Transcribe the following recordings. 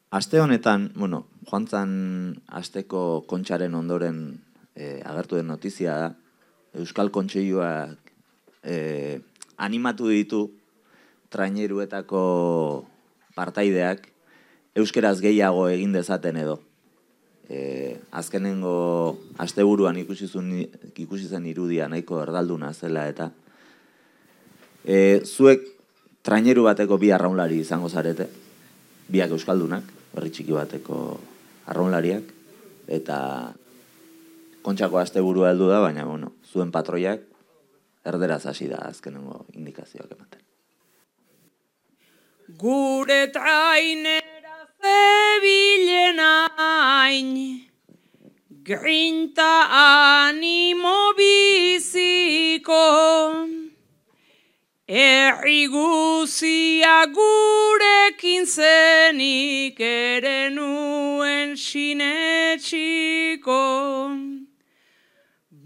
Aste honetan, joan zan asteko kontxaren ondoren agertu den notizia da, Euskal Kontseiluak animatu ditu traineruetako partaideak euskeraz gehiago egin dezaten edo. Azkenengo asteburuan ikusi zen irudia nahiko erdalduna zela eta zuek traineru bateko bi arraunlari izango zarete, biak euskaldunak, herri txiki bateko arraunlariak, eta kontxako asteburua heldu da, baina zuen patroiak erderaz hasi da azkenengo indikazioak ematen. Gure trainera zebilen hain, grinta animo biziko, herri guzia gurekin zenik ere nuen sinetsiko.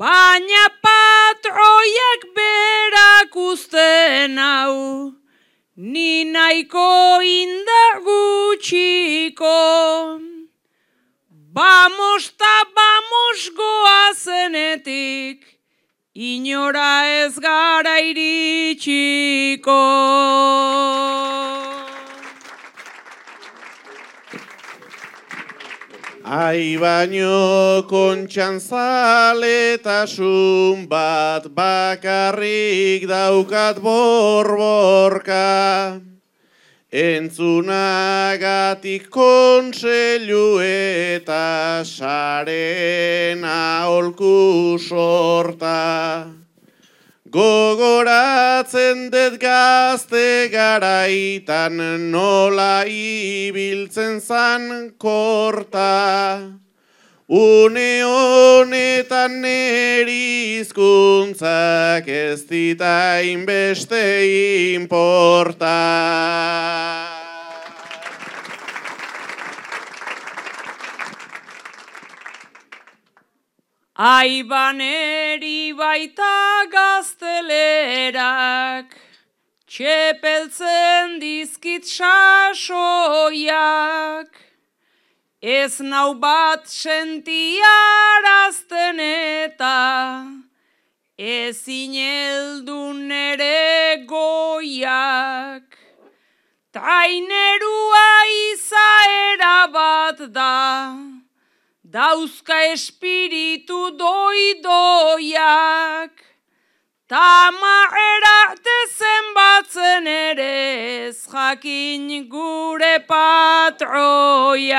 Baina patroiak berak uzten hau, ni nahiko indar gutxiko. Vamos ta vamos goazenetik, inora ez gara iritsiko. Ai baino kontxan zaletasun bat bakarrik daukat borborka. Entzunagatik kontseilu eta saren aholku sorta. Gogoratzen dut gazte garaitan nola ibiltzen zan korta. Une honetan neri hizkuntzak ez dita inbeste inporta. Aibaneri baita gaztelerak, txepeltzen dizkit sasoiak, ez nau bat sentiarazten eta ezin heldu nere goiak. Trainerua izaera bat da, dauzka espiritu doidoiak, tamarrarte zenbatzen ere ez jakin gure patroiak.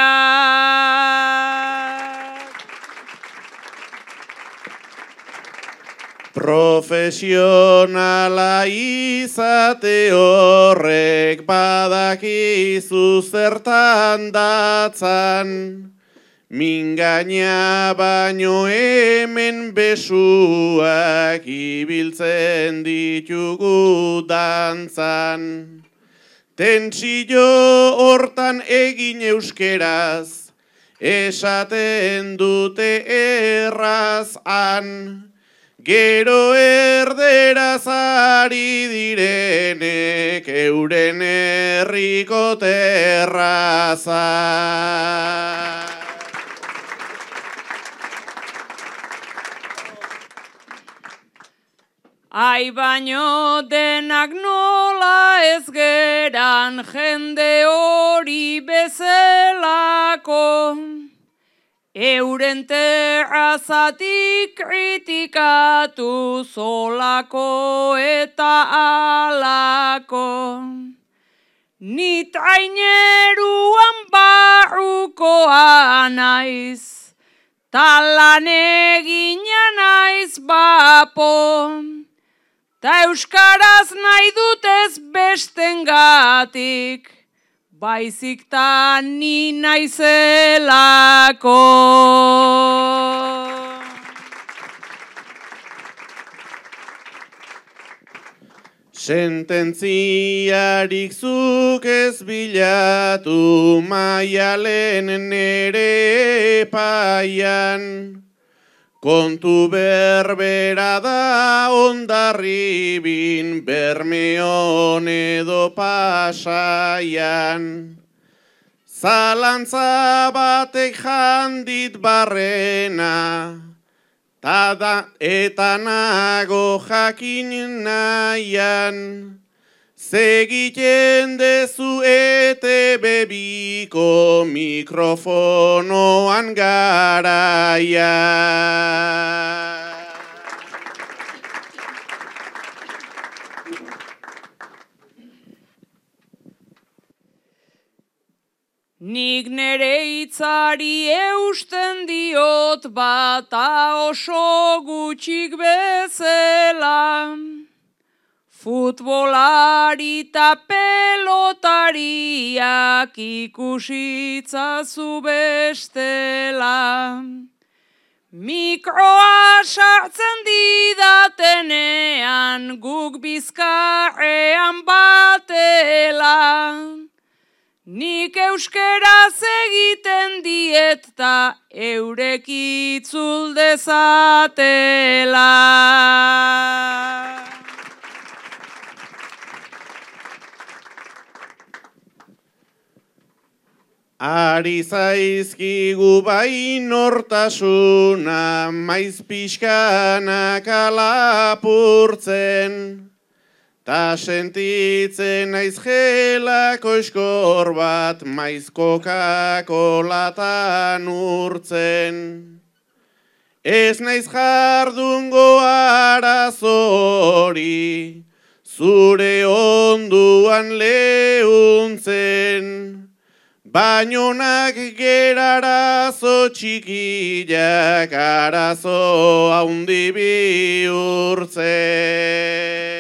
Profesionala izate horrek badakizu zertan datzan, mingaina baino hemen besuak ibiltzen ditugu dantzan. Tentsio hortan egin euskeraz, esaten dute errazan, gero erderaz ari direnek euren herriko terrazan. Ai baino denak nola ez geran jende hori bezalako, euren terrazatik kritikatu zolako eta alako. Ni traineruan barrukoa naiz, talan egina naiz bapo, ta euskaraz nahi dutez bestengatik, baizik ta ni naizelako. Sententziarik zuk ez bilatu maialen nere epaian, kontu berbera da Hondarribin Bermeon edo Pasaian. Zalantza batek jandit barrena, eta nago jakin nahian, segiten dezu ETB-biko mikrofonoan garaia. Nik nere hitzari eusten diot bata oso gutxik bezala. Futbolari eta pelotariak ikusitzazu bestela. Mikroa sartzen didatenean guk Bizkaian batela. Nik euskeraz egiten diet ta eurek itzul dezatela. Ari zaizkigu bai nortasuna, maiz pixkanak alapurtzen, ta sentitzen naiz gelako eskor bat, maiz Coca-Colatan urtzen. Ez naiz jardungo arazori, zure onduan leuntzen, bainonak gerarazo txikiak arazo haundi bihurtzen.